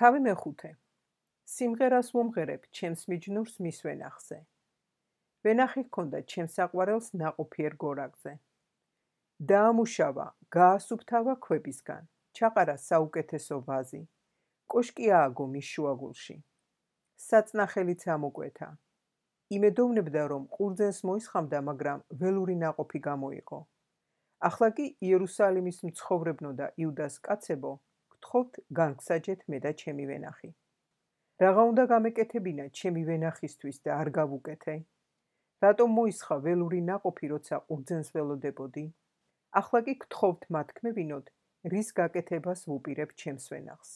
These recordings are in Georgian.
თავი მეხუთე. სიმღერას ვუმღერებ ჩემს მიჯნურს მის ვენახზე. ვენახი ჰქონდა ჩემს საყვარელს ნაყოფიერ გორაკზე. დაამუშავა, გაასუფთავა ქვებისგან, ჩაყარა საუკეთესო ვაზი. კოშკი ააგო მის შუაგულში. საწნახელიც ამოკვეთა. იმედოვნებდა, რომ ყურძენს მოისხამდა, მაგრამ ველური ნაყოფი გამოიყო. ახლა კი იერუსალიმის მცხოვრებნო და იუდას კაცებო, გთხოვთ განგსაჯეთ მე და ჩემი ვენახი. რაღა უნდა გამეკეთებინა ჩემი ვენახისთვის და არ გავუკეთე? რატომ მოისხა ველური ნაყოფი, როცა ყურძენს ველოდებოდი? ახლა კი გთხოვთ მათქმევინოთ, რის გაკეთებას ვუპირებ ჩემს ვენახს.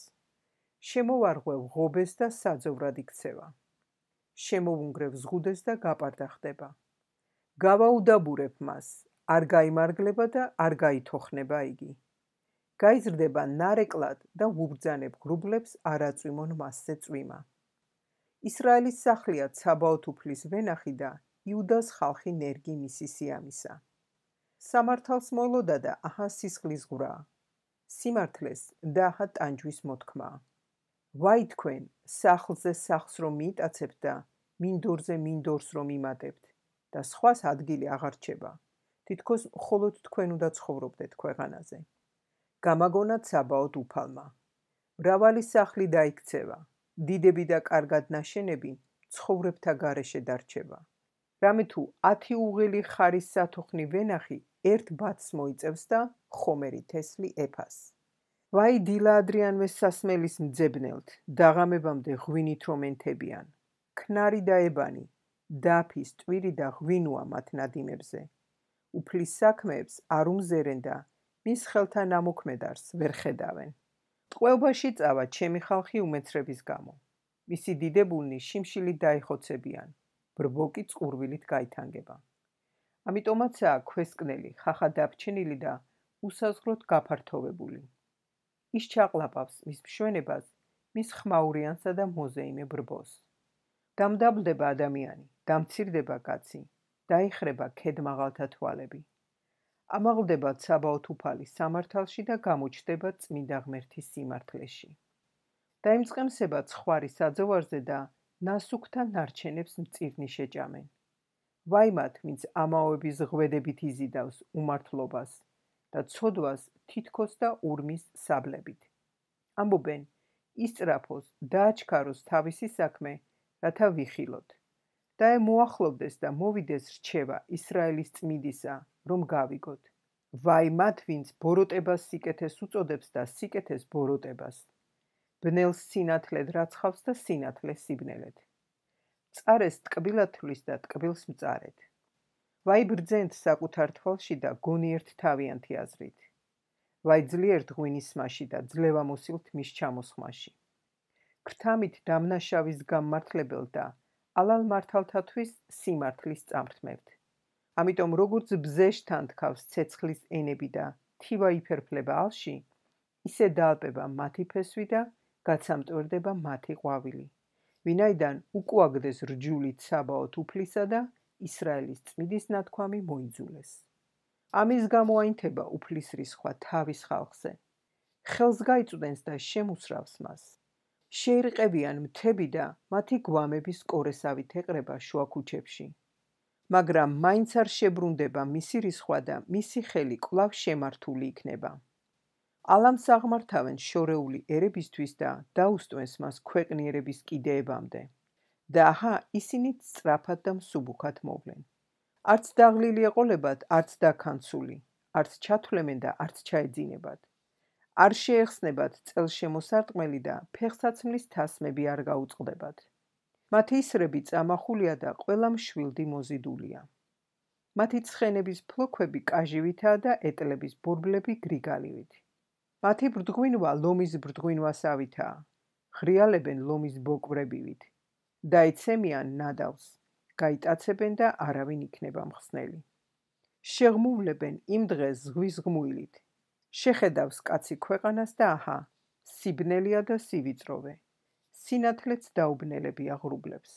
შემოვარღვევ ღობეს და საძოვრად იქცევა. შემოვუნგრევ ზღუდეს და გაპარდახდება. გავაუდაბურებ მას, არ გაიმარგლება და არ გაითოხნება იგი. გაიზრდება ნარეკლად და ვუბრძანებ ღრუბლებს არაწვიმონ მასზე წვიმა. ისრაელის სახლია ცაბაოთ უფლის ვენახი და იუდას ხალხი ნერგი მისი სიამისა. სამართალს მოელოდა და აჰა სისხლის ღვრა. სიმართლეს და აჰა ტანჯვის მოთქმა. ვაი თქვენ, სახლზე სახლს რომ მიიტაცებთ და მინდორზე მინდორს რომ იმატებთ და სხვას ადგილი აღარ რჩება. თითქოს მხოლოდ თქვენ უნდა ცხოვრობდეთ ქვეყანაზე. გამაგონა ცაბაოთ უფალმა. მრავალი სახლი დაიქცევა, დიდები და კარგად ნაშენები ცხოვრებთა გარეშე დარჩება. რამე თუ 10 უღელი ხარის სათოხნი ვენახი ერთ ბათს მოიწევს და ხომერი თესლი ეფას. ვაი დილა ადრიანვე სასმელის მძებნელთ, დაღამებამდე ღვინით რომ ენთებიან. ქნარი და ებანი, დაფის, ტვირი და ღვინოა მათ ნადიმებზე. უფლის საქმეებს არ უმზერენ და მის ხელთა ნამოქმედარს ვერ ხედავენ. ტყვეობაში წავა ჩემი ხალხი უმეცრების გამო. მისი დიდებულნი შიმშილით დაიხოცებიან, ბრბოკი წყურვილით გაითანგება. ამიტომაცაა ქვესკნელი, ხახა დაფჩენილი და უსაზღროდ გაფართოვებული. ის ჩაყლაპავს მის მშვენებას, მის ხმაურიანსა და მოზეიმე ბრბოს. დამდაბლდება ადამიანი, დამცირდება კაცი, დაიხრება ქედმაღალთა თვალები. ამაღლდება ცაბაოთ უფალი სამართალში და გამოჩნდება წმინდა ღმერთის სიმართლეში. დაიმწყემსება ცხვარი საძოვარზე და ნასუქთა ნარჩენებს მწირნი შეჭამენ. ვაი მათ, ვინც ამაოების ღვედებით იზიდავს უმართლობას და ცოდვას თითქოს და ურმის საბლებით. ამბობენ, ისწრაფოს, დააჩქაროს თავისი საქმე, რათა ვიხილოთ. და მოახლოვდეს და მოვიდეს რჩევა ისრაელის წმიდისა, რომ გავიგოთ. ვაი მათ, ვინც ბოროტებას სიკეთეს უწოდებს და სიკეთეს ბოროტებას. ბნელს სინათლედ რაცხავს და სინათლეს სიბნელეთ. მწარეს ტკბილად თვლის და ტკბილს მწარეთ. ვაი ბრძენთ საკუთარ თვალში და გონიერთ თავიანთი აზრით. ვაი ძლიერთ ღვინის სმაში და ძლევამოსილთ მის ჩამოსხმაში. ქრთამით დამნაშავის გამმართლებელ და ალალ მართალთათვის სიმართლის წამრთმევთ. ამიტომ როგორც ბზე შთანთქავს ცეცხლის ენები და თივა იფერფლება ალში, ისე დაალპება მათი ფესვი და გაცამტვერდება მათი ყვავილი. ვინაიდან უკუაგდეს რჯული ცაბაოთ უფლისა და ისრაელის წმიდის ნათქვამი მოიძულეს. ამის გამო აინთება უფლის რისხვა თავის ხალხზე. ხელს გაიწვდენს და შემუსრავს მას. შეირყევიან მთები და მათი გვამების კორესავით ეყრება შუა ქუჩებში. მაგრამ მაინც არ შებრუნდება მისი რისხვა და მისი ხელი კვლავ შემართული იქნება. ალამს აღმართავენ შორეული ერებისთვის და დაუსტვენს მას ქვეყნიერების კიდეებამდე. და აჰა ისინიც სწრაფად და მსუბუქად მოვლენ. არც დაღლილი ეყოლებათ, არც დაქანცული, არც ჩათვლემენ და არც ჩაეძინებათ. არ შეეხსნებათ წელშემოსარტყმელი და ფეხსაცმლის თასმები არ გაუწყდებათ. მათი ისრები წამახულია და ყველა მშვილდი მოზიდულია. მათი ცხენების ფლოქვები კაჟივითაა და ეტლების ბორბლები გრიგალივით. მათი ბრდღვინვა ლომის ბრდღვინვასავითაა. ღრიალებენ ლომის ბოკვრებივით. დაეცემიან ნადავს, გაიტაცებენ და არავინ იქნება მხსნელი. შეღმუვლებენ იმ დღეს ზღვის ღმუილით. შეხედავს კაცი ქვეყანას და აჰა, სიბნელია და სივიწროვე. სინათლეც დაუბნელებია ღრუბლებს.